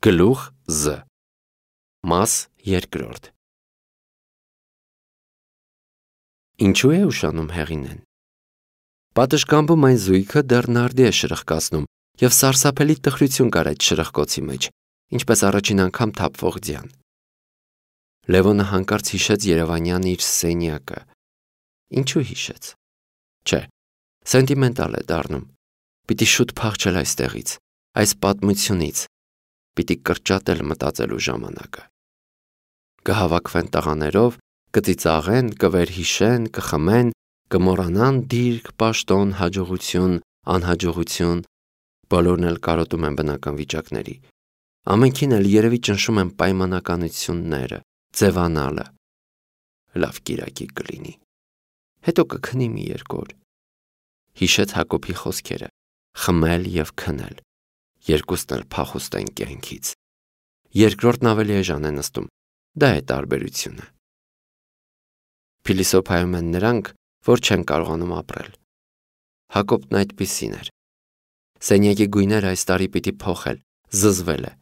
Գլուխ Զ Մաս երկրորդ Ինչու է ուշանում հեղինեն։ Պատշգամբում այն զույգը դեռ նարդի է շրխկացնում և սարսափելի տխրություն կար այդ շրխկոցի մեջ, ինչպես առաջին անգամ թափվող ձյան։ Լևոնը հանկարծ հիշեց Երևանյան իր սենյակը։ Ինչու հիշեց։ Չէ, սենտիմենտալ է դառնում։ Պիտի շուտ փախչել այստեղից, այս պատմությունից։ Պիտի կրճատել մտածելու ժամանակը։ Կհավաքվեն տղաներով, կծիծաղեն, կվերհիշեն, կխմեն, կմոռանան դիրք, պաշտոն, հաջողություն, անհաջողություն, բոլորն էլ կարոտում են բնական վիճակների։ Ամենքին էլ երևի ճնշում են պայմանականությունները, ձևանալը։ Լավ կիրակի կլինի։ Հետո կքնի մի երկու օր։ Հիշեց Հակոբի խոսքերը՝ խմել և քնել։ Երկուսն էլ փախուստ են կյանքից։ Երկրորդն ավելի էժան է նստում, դա է տարբերությունը։ Փիլիսոփայում են նրանք, որ չեն կարողանում ապրել։ Հակոբն այդպիսին էր։ Սենյակի գույները այս տարի պիտի փոխել, զզվել է։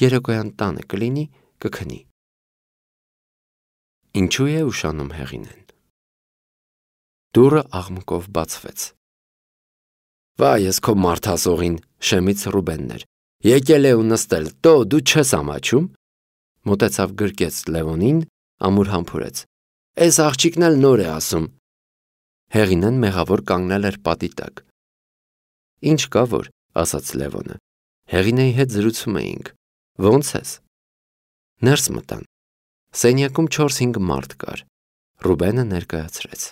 Երեկոյան տանը կլինի, կքնի։ Ինչու է ուշանում հեղինեն։ Դուռը աղմուկով բացվեց։ Վայ, ես քո մարդասողին, շեմից Ռուբենն էր։ Եկել է ու նստել, դու չես ամաչում։ Մոտեցավ գրկեց Լևոնին, ամուր համբուրեց։ Էս աղջիկն էլ նոր է ասում։ Հեղինեն մեղավոր կանգնել էր պատի տակ։ Ինչ կա որ, ասաց Լևոնը։ Հեղինեի հետ զրուցում էինք։ Ոնց ես։ Ներս մտան։ Սենյակում 4-5 մարդ կար։ Ռուբենը ներկայացրեց։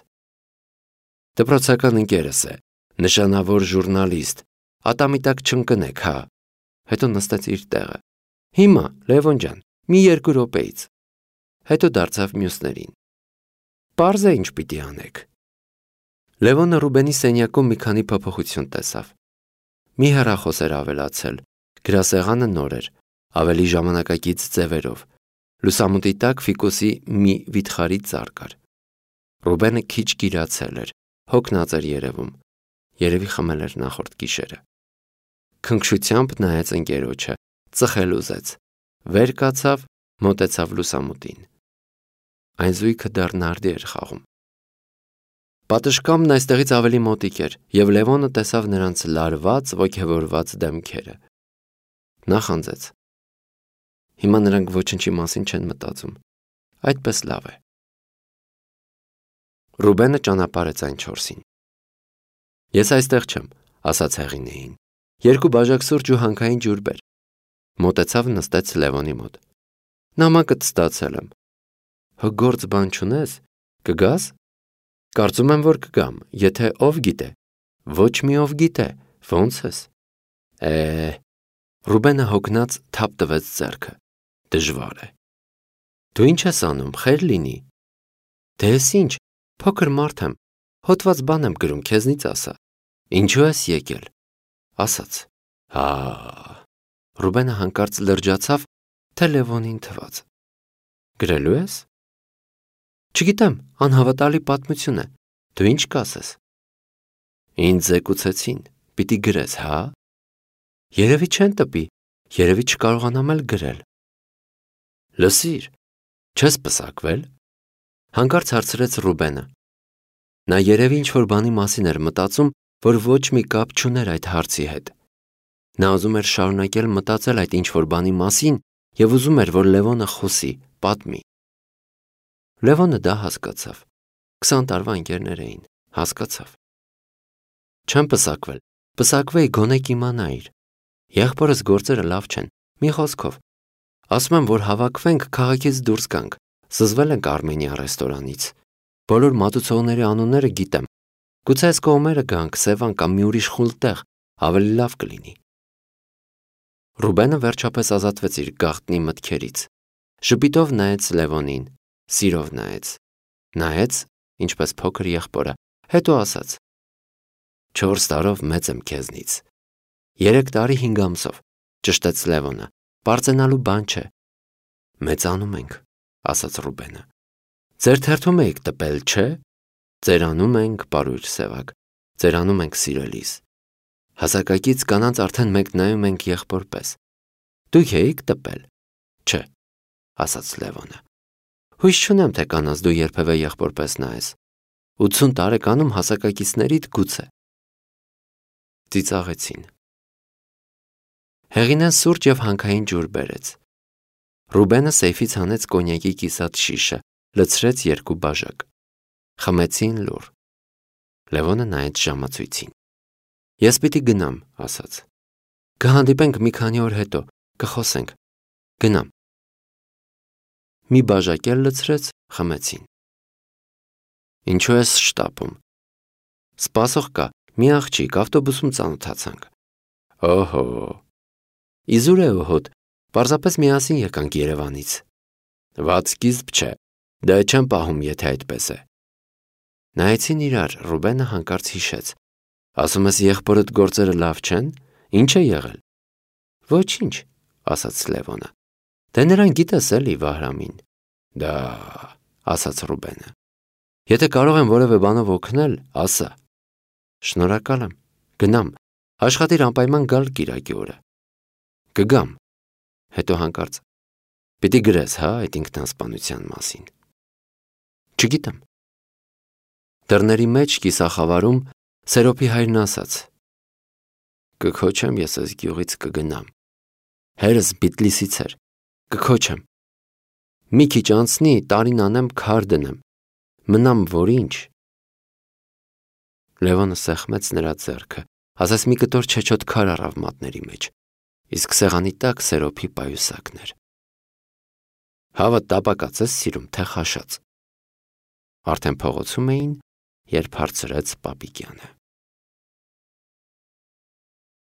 Դպրոցական ընկերս է, նշանավոր ժուրնալիստ, ատամի տակ չընկնեք, հա։ Հետո նստեց իր տեղը։ Հիմա, Լևոն ջան, մի 2 րոպեից։ Հետո դարձավ մյուսներին։ Պարզ է ինչ պիտի անեք։ Լևոնը Ռուբենի սենյակում մի քանի փոփոխություն տեսավ։ Մի հեռախոս էր ավելացել, գրասեղանը նոր էր, ավելի ժամանակակից ձևերով։ Լուսամուտի տակ ֆիկուսի մի վիթխարի ծառ կար։ Ռուբենը քիչ գիրացել էր, հոգնած էր երևում։ Երևի խմել էր նախորդ գիշերը։ Քնքշությամբ նայեց ընկերոջը, ծխել ուզեց։ Վեր կացավ, մոտեցավ լուսամուտին։ Այն զույգը դեռ նարդի էր խաղում։ Պատշգամբն այստեղից ավելի մոտիկ էր, և Լևոնը տեսավ նրանց լարված, ոգևորված դեմքերը։ Նախանձեց։ Հիմա նրանք ոչնչի մասին չեն մտածում։ Այդպես լավ է։ Ռուբենը ճանապարհեց այն 4-ին։ Ես այստեղ չեմ, ասաց հեղինեին։ 2 բաժակ սուրճ ու հանքային ջուր բեր։ Մոտեցավ նստեց Լևոնի մոտ։ Նամակդ ստացել եմ։ Հո գործ բան չունես, կգաս։ Կարծում եմ, որ կգամ, եթե ով գիտե։ Ոչ մի ով գիտե, ոնց ես։ Ռուբենը հոգնած թափ տվեց ձեռքը։ Դժվար է։ Դու ինչ ես անում, խեր լինի։ Դե ես ինչ, փոքր մարդ եմ, հոտված բան եմ գրում, քեզնից ասա։ Ինչու ես եկել։ Ասաց։ Հա։ Ռուբենը հանկարծ լրջացավ, թե Լևոնին թվաց։ Գրելու ես։ Չգիտեմ, անհավատալի պատմություն է։ Դու ինչ կասես։ Ինձ զեկուցեցին, պիտի գրես, հա։ Երևի չեն տպի, երևի չկարողանամ էլ գրել։ Լսիր, չես պսակվել։ Հանկարծ հարցրեց Ռուբենը։ Նա երևի ինչ-որ բանի մասին էր մտածում, որ ոչ մի կապ չուներ այդ հարցի հետ։ Նա ուզում էր շարունակել մտածել այդ ինչ-որ բանի մասին և ուզում էր, որ Լևոնը խոսի, պատմի։ Լևոնը դա հասկացավ։ 20 տարվա ընկերներ էին, հասկացավ։ Չեմ պսակվել, պսակվեի գոնե կիմանայիր։ Եղբորս գործերը լավ չեն, մի խոսքով։ Ասում եմ, որ հավաքվենք, քաղաքից դուրս գանք, զզվել ենք Արմենիա ռեստորանից։ Բոլոր մատուցողների անունները գիտեմ։ Գուցե այս կողմերը գանք, Սևան կամ մի ուրիշ խուլ տեղ, ավելի լավ կլինի։ Ռուբենը վերջապես ազատվեց իր գաղտնի մտքերից։ Ժպիտով նայեց Լևոնին, սիրով նայեց, ինչպես փոքր եղբորը, հետո ասաց. 4 տարով մեծ եմ քեզնից։ 3 տարի 5 ամսով, ճշտեց Լևոնը, պարծենալու բան չէ։ Մեծանում ենք, ասաց Ռուբենը։ Ձեր թերթում էիք տպել, չէ։ Ծերանում ենք, պարույր սևակ, ծերանում ենք սիրելիս։ Հասակակից կանանց արդեն մենք նայում ենք եղբոր պես։ Դուք էիք տպել։ Չէ, ասաց Լևոնը։ Հույս չունեմ, թե կանանց դու երբևէ եղբորպես նայես։ 80 տարեկանում հասակակիցներիդ գուցե։ Ծիծաղեցին։ Հեղինեն սուրճ և հանքային ջուր բերեց։ Ռուբենը սեյֆից հանեց կոնյակի կիսատ շիշը, լցրեց 2 բաժակ։ Խմեցին լուռ։ Լևոնը նայեց ժամացույցին։ Ես պիտի գնամ, ասաց։ Կհանդիպենք մի քանի օր հետո, կխոսենք։ Գնամ։ Մի բաժակ էլ լցրեց, խմեցին։ Ինչու ես շտապում։ Սպասող կա, մի աղջիկ, ավտոբուսում ծանոթացանք։ Օհո։ Իզուր է հոտ, պարզապես միասին եկանք Երևանից։ Վատ սկիզբ չէ, դա չեմ պահում, եթե այդպես է։ Նայեցին իրար, Ռուբենը հանկարծ հիշեց։ Ասում ես եղբորդ գործերը լավ չեն, ինչ է եղել։ Ոչինչ, ասաց Լևոնը։ Դե նրան գիտես էլի Վահրամին։ Դա, ասաց Ռուբենը։ Եթե կարող եմ որևէ բանով օգնել, ասա։ Շնորհակալ եմ, գնամ, աշխատիր անպայման գալ կիրակի օրը։ Կգամ։ Հետո հանկարծ։ Պիտի գրես, հա, այդ ինքնասպանության մասին։ Չգիտեմ։ Դռների մեջ կիսախավարում Սերոփի հայրն ասաց. Կքոչեմ ես այս գյուղից կգնամ։ Հերս Բիթլիսից էր։ Կքոչեմ։ Մի քիչ անցնի, տարին անեմ, քար դնեմ։ Մնամ որ ինչ։ Լևոնը սեղմեց նրա ձեռքը, ասես մի կտոր չեչոտ քար առավ մատների մեջ, իսկ սեղանի տակ Սերոփի պայուսակն էր։ Հավը տապակած ես սիրում, թե խաշած։ Արդեն փողոցում էին, երբ հարցրեց Պապիկյանը։